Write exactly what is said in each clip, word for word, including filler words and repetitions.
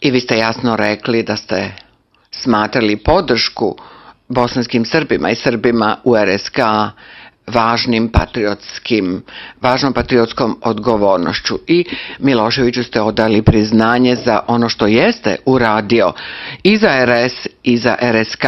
I vi ste jasno rekli da ste smatrali podršku bosanskim Srbima i Srbima u R S K važnim patriotskim, važnom patriotskom odgovornošću. I Miloševiću ste odali priznanje za ono što jeste uradio i za R S i za R S K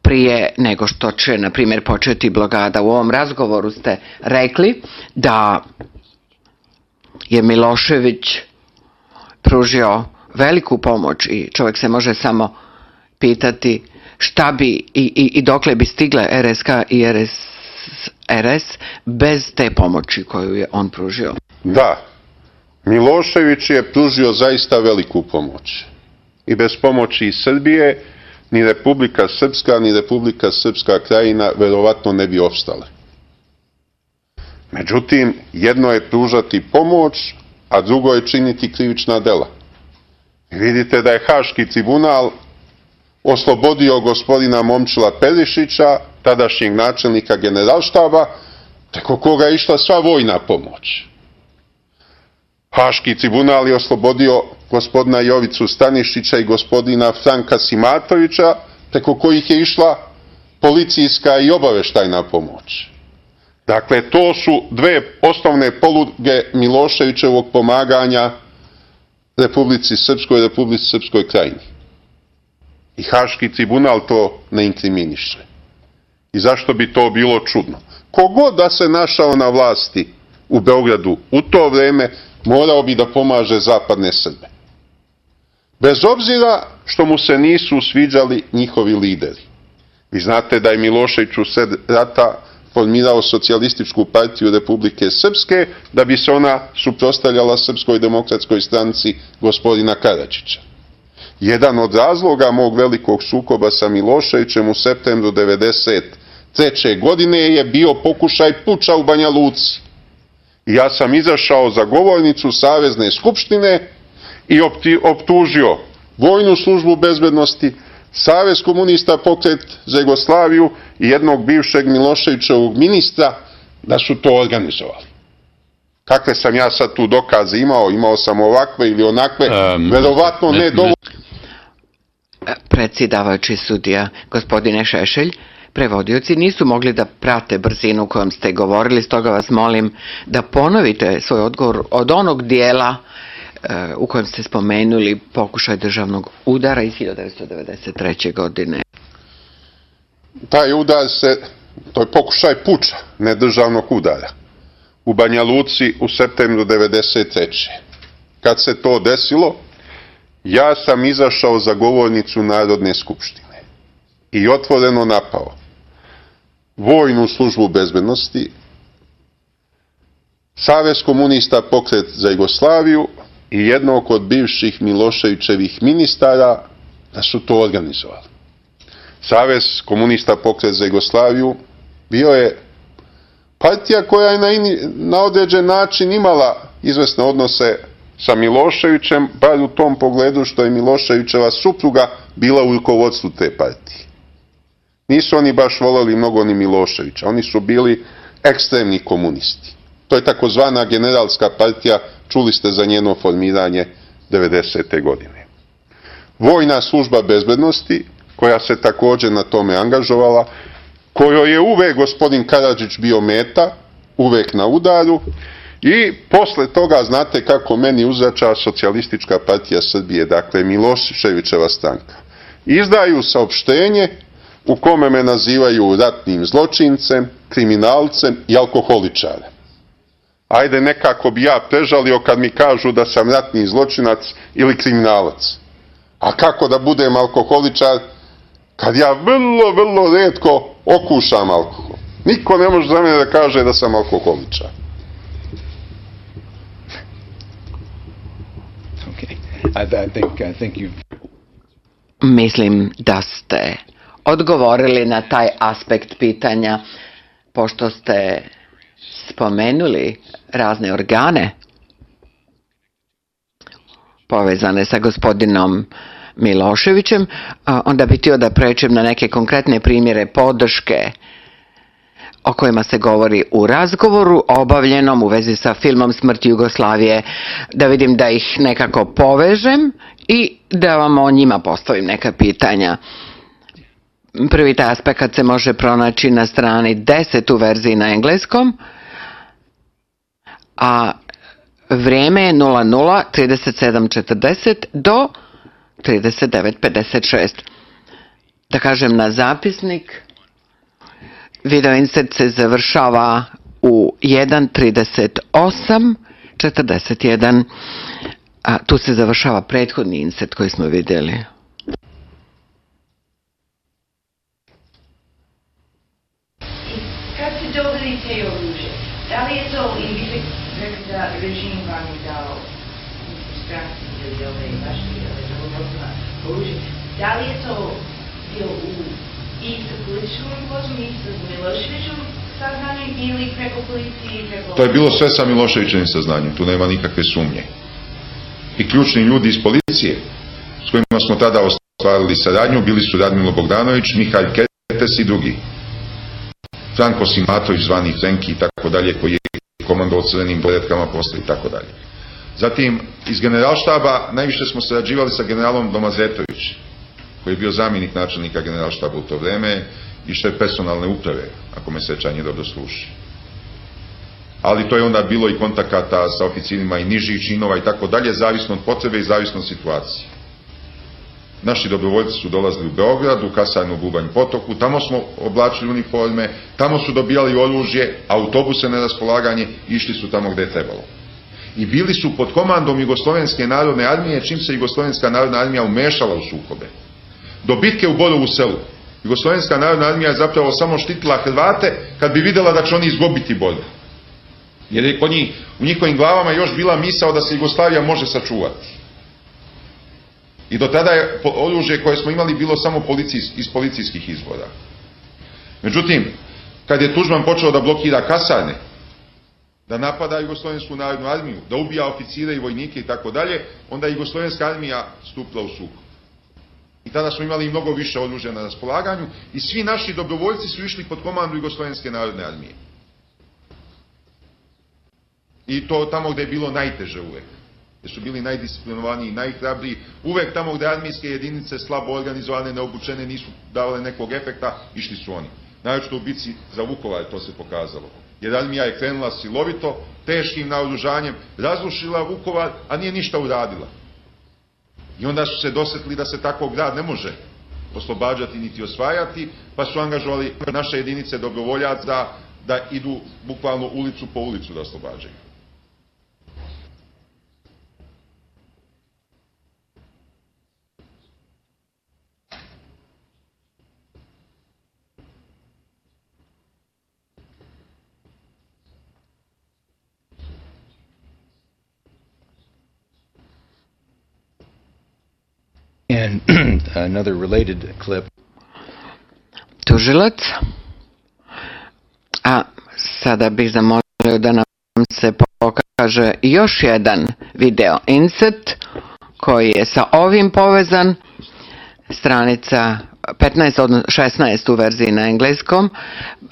prije nego što će, na primjer, početi blokada. U ovom razgovoru ste rekli da je Milošević pružio veliku pomoć i čovjek se može samo pitati šta bi i, i, i dokle bi stigle R S K i R S, R S bez te pomoći koju je on pružio. Da, Milošević je pružio zaista veliku pomoć. I bez pomoći Srbije ni Republika Srpska, ni Republika Srpska Krajina verovatno ne bi opstale. Međutim, jedno je pružati pomoć, a drugo je činiti krivična dela. I vidite da je Haški tribunal oslobodio gospodina Momčila Perišića, tadašnjeg načelnika generalštaba, preko koga je išla sva vojna pomoć. Haški tribunal je oslobodio gospodina Jovicu Stanišića i gospodina Franka Simatovića, preko kojih je išla policijska i obaveštajna pomoć. Dakle, to su dve osnovne poluge Miloševićevog pomaganja Republici Srpskoj i Republici Srpskoj Krajini. I Haški tribunal to ne inkriminiše. I zašto bi to bilo čudno? Kogod da se našao na vlasti u Beogradu u to vreme, morao bi da pomaže zapadne Srbe. Bez obzira što mu se nisu sviđali njihovi lideri. Vi znate da je Milošević u sred rata formirao socijalističku partiju Republike Srpske da bi se ona suprotstavljala Srpskoj demokratskoj stranci gospodina Karadžića. Jedan od razloga mog velikog sukoba sa Miloševićem u septembru devedeset treće. godine je bio pokušaj puča u Banja Luci. I ja sam izašao za govornicu Savezne skupštine i optužio Vojnu službu bezbednosti, Savez komunista, Pokret za Jugoslaviju i jednog bivšeg Miloševićevog ministra da su to organizovali. Kakve sam ja sad tu dokaze imao? Imao sam ovakve ili onakve, um, verovatno ne, ne dovoljno. Predsjedavajući sudija, gospodine Šešelj, prevodioci nisu mogli da prate brzinu kojom ste govorili, stoga vas molim da ponovite svoj odgovor od onog dijela u kojem ste spomenuli pokušaj državnog udara iz hiljadu devetsto devedeset treće. godine. Taj udar se, to je pokušaj puča, ne državnog udara, u Banja Luci u septembru devedeset treće. Kad se to desilo, ja sam izašao za govornicu Narodne skupštine i otvoreno napao Vojnu službu bezbednosti, Savez komunista, Pokret za Jugoslaviju i jednog od bivših Miloševićevih ministara da su to organizovali. Savez komunista, Pokret za Jugoslaviju bio je partija koja je na, in, na određen način imala izvesne odnose sa Miloševićem, bar u tom pogledu što je Miloševićeva supruga bila u rukovodstvu te partije. Nisu oni baš voleli mnogo ni Miloševića, oni su bili ekstremni komunisti. To je takozvana generalska partija, čuli ste za njeno formiranje devedesete. godine. Vojna služba bezbednosti, koja se također na tome angažovala, kojoj je uvek gospodin Karadžić bio meta, uvek na udaru, i posle toga znate kako meni uzrača Socijalistička partija Srbije, dakle Miloševićeva stranka. Izdaju saopštenje u kome me nazivaju ratnim zločincem, kriminalcem i alkoholičarem. Ajde, nekako bi ja prežalio kad mi kažu da sam ratni zločinac ili kriminalac. A kako da budem alkoholičar kad ja vrlo, vrlo retko okušam alkohol? Niko ne može za mene da kaže da sam alkoholičar. I think, I think you've... Mislim da ste odgovorili na taj aspekt pitanja, pošto ste spomenuli razne organe povezane sa gospodinom Miloševićem, onda bih htio da pređem na neke konkretne primjere podrške o kojima se govori u razgovoru obavljenom u vezi sa filmom Smrt Jugoslavije, da vidim da ih nekako povežem i da vam o njima postavim neka pitanja. Prvi taj aspekt se može pronaći na strani deset u verziji na engleskom, a vrijeme je nula nula trideset sedam četrdeset do trideset devet pedeset šest. Da kažem na zapisnik, video insert se završava u jedan trideset osam četrdeset jedan, a tu se završava prethodni insert koji smo vidjeli. Kad se dobili te oružje, da li je to, i vi ste rekli da režim vam je dao stranci ili ove vaše dobrovoljstva oružje, da li je to bilo u isto političkom rukovodstvu, isto s Miloševićom saznanjem ili preko policije? Preko... To je bilo sve sa Miloševićevim saznanjem, tu nema nikakve sumnje. I ključni ljudi iz policije s kojima smo tada ostvarili saradnju bili su Radmilo Bogdanović, Mihalj Ketes i drugi. Franko Simatović, zvani Frenki i tako dalje, koji je komandovao crvenim poredkama posle i tako dalje. Zatim, iz generalštaba najviše smo sarađivali sa generalom Domazetović, koji je bio zamjenik načelnika generalštaba u to vreme i šef personalne uprave, ako me sećanje dobro sluši. Ali to je onda bilo i kontakata sa oficirima i nižih činova i tako dalje, zavisno od potrebe i zavisno od situacije. Naši dobrovoljci su dolazili u Beograd, u kasarnu u Bubanj Potoku, tamo smo oblačili uniforme, tamo su dobijali oružje, autobuse na raspolaganje, išli su tamo gde je trebalo. I bili su pod komandom Jugoslovenske narodne armije, čim se Jugoslovenska narodna armija umešala u sukobe. Do bitke u Borovu Selu, Jugoslovenska narodna armija je zapravo samo štitila Hrvate kad bi vidjela da će oni izgubiti borbu. Jer je kod njih, u njihovim glavama još bila misao da se Jugoslavija može sačuvati. I do tada je oružje koje smo imali bilo samo policijs, iz policijskih izvora. Međutim, kad je Tuđman počeo da blokira kasarne, da napada Jugoslovensku narodnu armiju, da ubija oficire i vojnike i tako dalje, onda je Jugoslovenska armija stupila u sukob. I tada smo imali mnogo više oružja na raspolaganju i svi naši dobrovoljci su išli pod komandu Jugoslovenske narodne armije. I to tamo gde je bilo najteže uvek. Gde su bili najdisciplinovaniji i najhrabriji. Uvek tamo gde armijske jedinice slabo organizovane, neobučene, nisu davale nekog efekta, išli su oni. Naročito u bici za Vukovar to se pokazalo. Jer armija je krenula silovito, teškim naoružanjem, razrušila Vukovar, a nije ništa uradila. I onda su se dosetili da se tako grad ne može oslobađati niti osvajati, pa su angažovali naše jedinice dobrovoljaca da idu bukvalno ulicu po ulicu da oslobađaju. And another related clip. Tužilac. A sada bih zamolio da nam se pokaže još jedan video insert koji je sa ovim povezan. Stranica petnaest, odnosno šesnaest u verziji na engleskom.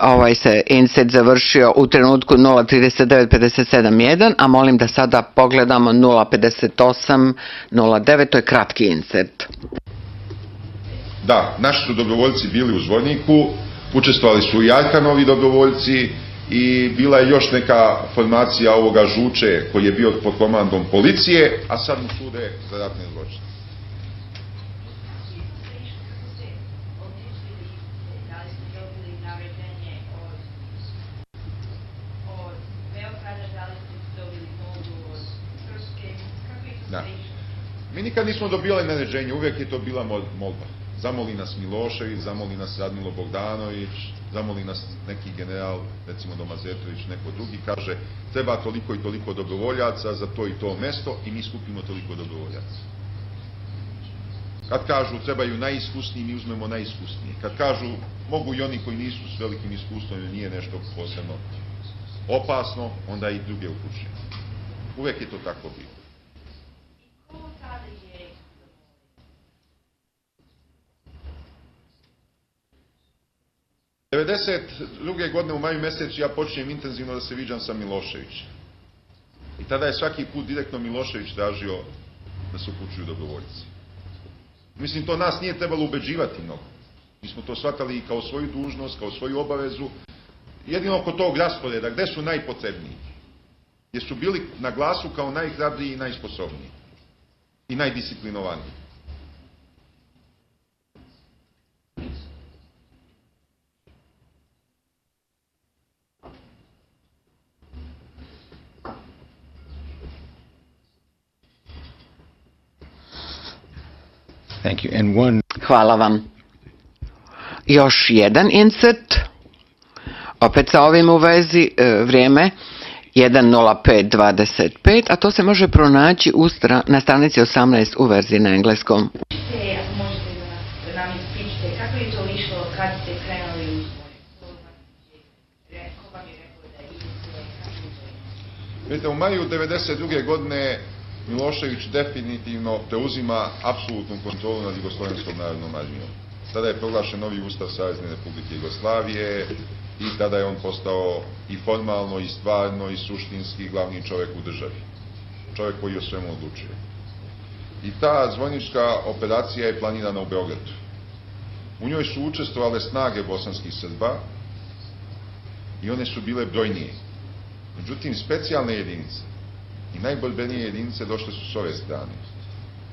Ovaj se insert završio u trenutku nula trideset devet pedeset sedam jedan, a molim da sada pogledamo nula pedeset osam nula devet, to je kratki insert. Da, naši su dobrovoljci bili u Zvorniku, učestvovali su i Arkanovi dobrovoljci i bila je još neka formacija ovoga Žuče koji je bio pod komandom policije, a sad mu sude za ratne zločine. Da. Mi nikad nismo dobijali naređenje, uvijek je to bila molba. Zamoli nas Milošević, zamoli nas Radmilo Bogdanović, zamoli nas neki general, recimo Domazetović, neko drugi, kaže treba toliko i toliko dobrovoljaca za to i to mesto i mi skupimo toliko dobrovoljaca. Kad kažu trebaju najiskusniji, mi uzmemo najiskusnije. Kad kažu mogu i oni koji nisu s velikim iskustvom ili nije nešto posebno opasno, onda i druge upućujemo. Uvijek je to tako bilo. devedeset druge godine u maju mjesecu ja počinjem intenzivno da se viđam sa Miloševićem. I tada je svaki put direktno Milošević tražio da se upućuju dobrovoljci. Mislim, to nas nije trebalo ubeđivati mnogo. Mi smo to shvatali i kao svoju dužnost, kao svoju obavezu. Jedino oko tog rasporeda, gde su najpotrebniji? Jer su bili na glasu kao najhrabriji i najsposobniji. I najdisciplinovaniji. Thank you. And one... Hvala vam. Još jedan insert, opet sa ovim u vezi, e, vrijeme jedan nula pet dvadeset pet, a to se može pronaći u stra, na stranici osamnaest u verziji na engleskom. Možete, ako možete da nam ispričate, kako je to išlo kad ste krenuli u svoj? Ko vam je rekao da idete, kako je to išlo? Vidite, u maju devedeset druge godine Milošević definitivno preuzima apsolutnu kontrolu nad Jugoslovenskom narodnom armijom. Tada je proglašen novi ustav Savezne Republike Jugoslavije i tada je on postao i formalno, i stvarno, i suštinski glavni čovjek u državi. Čovjek koji o svemu odlučuje. I ta zvojnička operacija je planirana u Beogradu. U njoj su učestvovale snage bosanskih Srba i one su bile brojnije. Međutim, specijalne jedinice i najborbenije jedinice došle su s ove strane.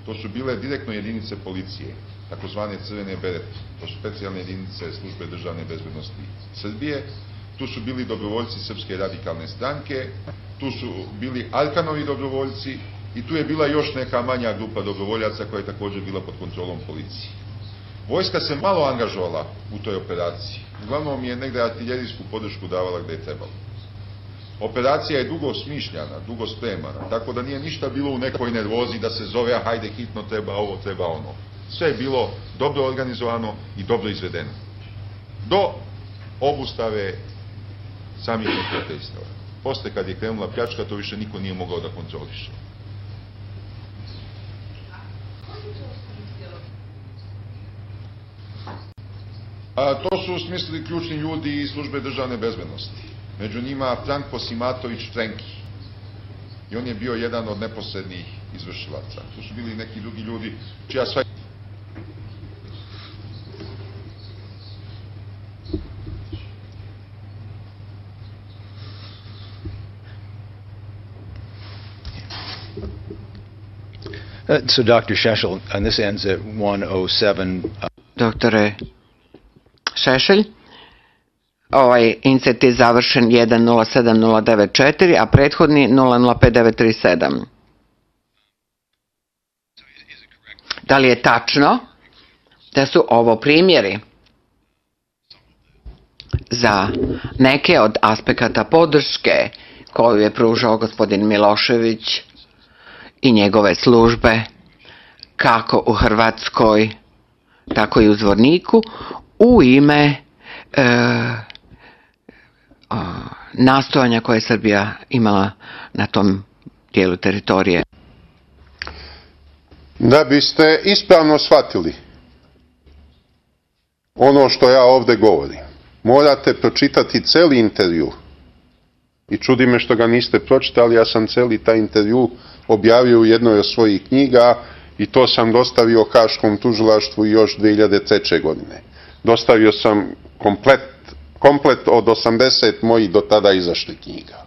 To su bile direktno jedinice policije, takozvane crvene berete. To su specijalne jedinice službe državne bezbednosti Srbije. Tu su bili dobrovoljci Srpske radikalne stranke, tu su bili Arkanovi dobrovoljci i tu je bila još neka manja grupa dobrovoljaca koja je također bila pod kontrolom policije. Vojska se malo angažovala u toj operaciji. Uglavnom je negde artiljerijsku podršku davala gde je trebalo. Operacija je dugo smišljana, dugo spremana, tako da nije ništa bilo u nekoj nervozi da se zove, a hajde hitno treba ovo, treba ono. Sve je bilo dobro organizovano i dobro izvedeno. Do obustave samih neprijateljstava. Posle kad je krenula pljačka, to više niko nije mogao da kontroliše. A to su smislili ključni ljudi iz službe državne bezbednosti. Među njima Franko Simatović Frenki. I on je bio jedan od neposrednih izvršilaca. Tu su bili neki drugi ljudi čija sva... Uh, so, Doctor Šešelj, and this ends at one oh seven. Uh... Doktore Šešelj, ovaj insert je završen jedan nula sedam nula devet četiri, a prethodni nula nula pet devet tri sedam. Da li je tačno da su ovo primjeri za neke od aspekata podrške koju je pružao gospodin Milošević i njegove službe, kako u Hrvatskoj, tako i u Zvorniku, u ime e, o, nastojanja koje je Srbija imala na tom dijelu teritorije? Da biste ispravno shvatili ono što ja ovde govorim, morate pročitati celi intervju. I čudi me što ga niste pročitali, ja sam celi taj intervju objavio u jednoj od svojih knjiga i to sam dostavio Haškom tužilaštvu još dve hiljade treće. godine. Dostavio sam komplet, komplet od osamdeset mojih do tada izašli knjiga.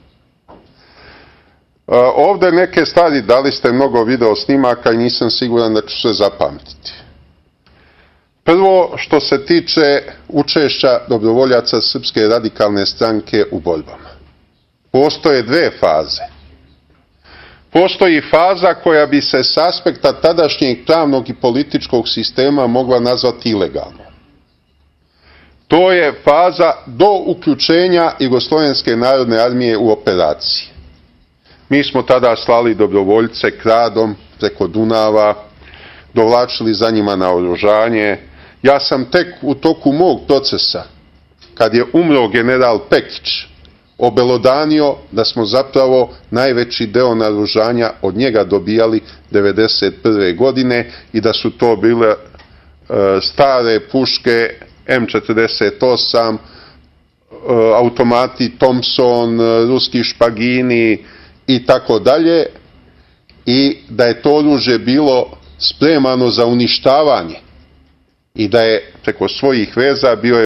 Ovde neke stvari, dali ste mnogo video snimaka i nisam siguran da ću se zapamtiti. Prvo, što se tiče učešća dobrovoljaca Srpske radikalne stranke u borbama. Postoje dve faze. Postoji faza koja bi se s aspekta tadašnjeg pravnog i političkog sistema mogla nazvati ilegalno. To je faza do uključenja Jugoslovenske narodne armije u operaciji. Mi smo tada slali dobrovoljce kradom preko Dunava, dovlačili za njima naoružanje. Ja sam tek u toku mog procesa, kad je umro general Pekić, obelodanio da smo zapravo najveći deo naoružanja od njega dobijali devedeset prve. godine i da su to bile e, stare puške em četrdeset osam, automati Thompson, ruski špagini i tako dalje, i da je to oružje bilo spremano za uništavanje i da je preko svojih veza bio je